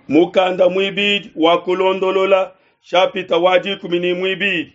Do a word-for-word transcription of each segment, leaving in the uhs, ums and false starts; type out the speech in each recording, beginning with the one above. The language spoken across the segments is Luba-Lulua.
Mukanda muibidi wa kulondolola shapita wa dikumi ne muibidi.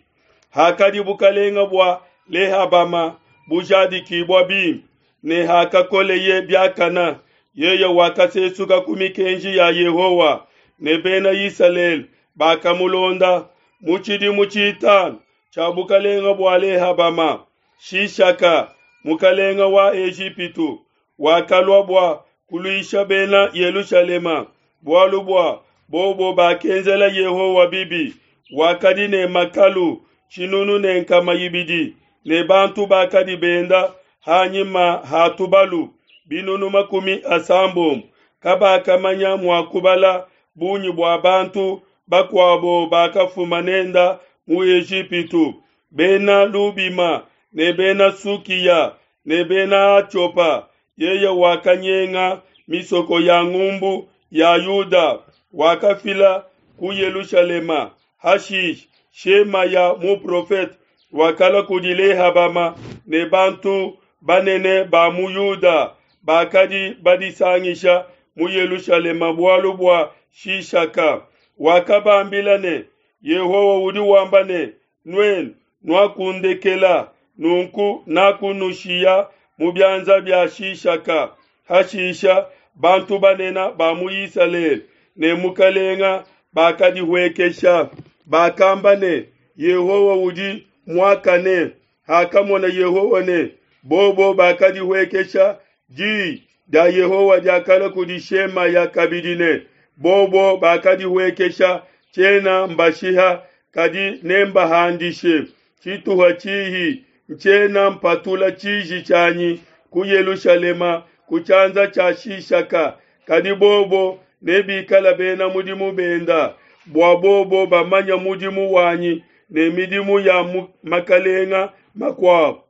Hakadi bukalenga bua Lehabama bujadikibua bimpe, ne hakakoleye biakana, yeye wakasesuka ku mikenji ya Yehowa, ne Bena Isalele bakamulonda. Mu tshidimu tshitanu tshia bukalenga bua Lehabama, Shishaka mukalenga wa Ejipitu wakalua bua kuluisha Bena Yelushalema, bualu bua bobo bakenzela Yehowa bibi. Wakadi ne makalu tshinunu ne nkama ibidi ne bantu bakadi benda hanyima ha tubalu binunu makumi asambombo. Kabakamanya mua kubala bungi bua bantu bakuabo bakafuma nenda mu Ejipitu, Bena Lubima ne Bena Sukiya ne Bena Atiopa. Yeye wakanyenga misoko ya ngumbu ya Yuda, wakafila ku Yelushalema. Hashishe Shemaya muprofete wakalua kudi Lehabama ne bantu banene ba mu Yuda bakadi badisangisha mu Yelushalema bualu bua Shishaka. Wakabambila ne, Yehowa udi wamba ne, nuenu nuakundekela, nunku nakunushiya mu bianza bia Shishaka. Hashisha bantu banene ba mu Isalele ne mukalenga bakadihuekesha, bakamba ne, Yehowa udi muakane. Hakamona Yehowa ne bobo bakadihuekesha, di dia Yehowa diakalua kudi Shemaya kabidi ne, bobo bakadihuekesha, tshiena mbashiha, kadi nembahandishe tshituha tshihi, ntshiena mpatula tshiji tshianyi ku Yelushalema ku tshianza tshia Shishaka, kadi bobo nebikala bena mudimu benda, bua bobo bamanya mudimu wanyi ne midimu ya makalenga makuabo.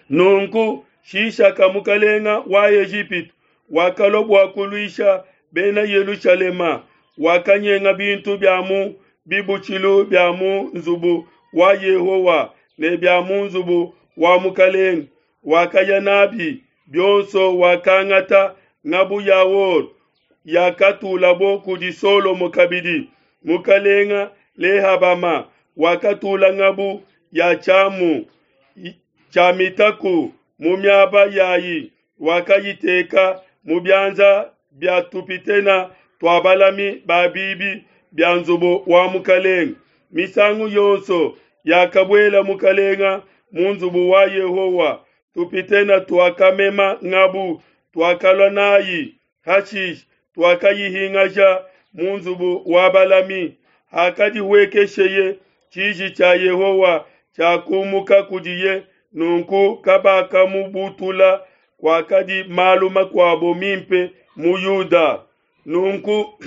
Nunku Shishaka mukalenga wa Ejipitu wakalua bua kuluisha bena Yelushalema, wakanyenga bintu bia mu bibutshilu bia mu nzubu wa Yehowa ne bia mu nzubu wa mukalenga, wakaya nabi bionso. Wakangata ngabu ya or yakatulabo kudi Solomo kabidi. Mukalenga Lehabama wakatula ngabu ya tshiamu tshia mitaku mu miaba yayi, wakayiteka mu bianza bia tupitena tua balami ba bibi bia nzubu wa mukalenga. Misangu yonso yakabuela mukalenga mu nzubu wa Yehowa, tupitena tuakamema ngabu, tuakalua nayi. Hashishe tuakayihingaja mu nzubu wa balami. Hakadihuekesheye, tshiji tshia Yehowa tshiakumuka kudiye, nunku kabakamubutula. Kwakadi malu makuabo mimpe mu Yuda. Nunku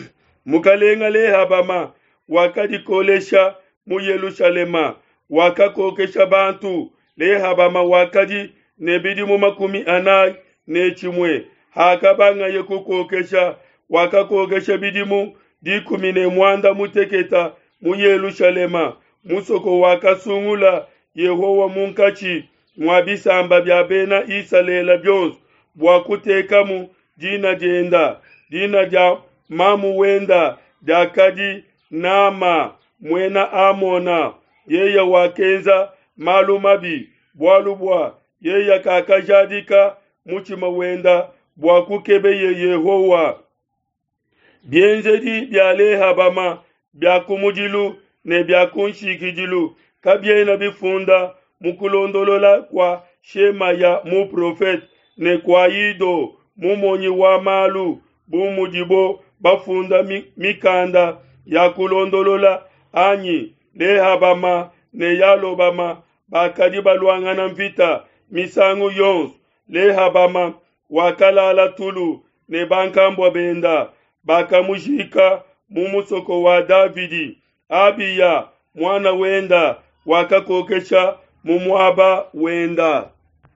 mukalenga Lehabama wakadikolesha mu Yelushalema, wakakokesha bantu. Lehabama wakadi ne bidimu makumi anayi ne tshimue hakabangaye kukokesha, wakakokesha bidimu dikumi ne muanda muteketa mu Yelushalema, musoko wakasungula Yehowa munkatshi mua bisamba bia Bena Isalele bionso bua kutekamu dina dienda. Dina dia mamu wenda diakadi Nama muena Amona. Yeye wakenza malu mabi, bualu bua yeye kakajadika mutshima wenda bua kukebeye Yehowa. Bienzedi bia Lehabama bia kumudilu ne bia kunshikidilu kabiena bifunda mu kulondolola kua Shemaya muprofete ne kua Ido mumonyi wa malu, bu mudibo bafunda mikanda ya kulondolola anyi? Lehabama ne Yalobama bakadi baluangana mvita misangu yonso. Lehabama wakalala tulu ne bankambua benda, bakamujika mu musoko wa Davidi. Abiya muana wenda wakakokesha mu muaba wenda.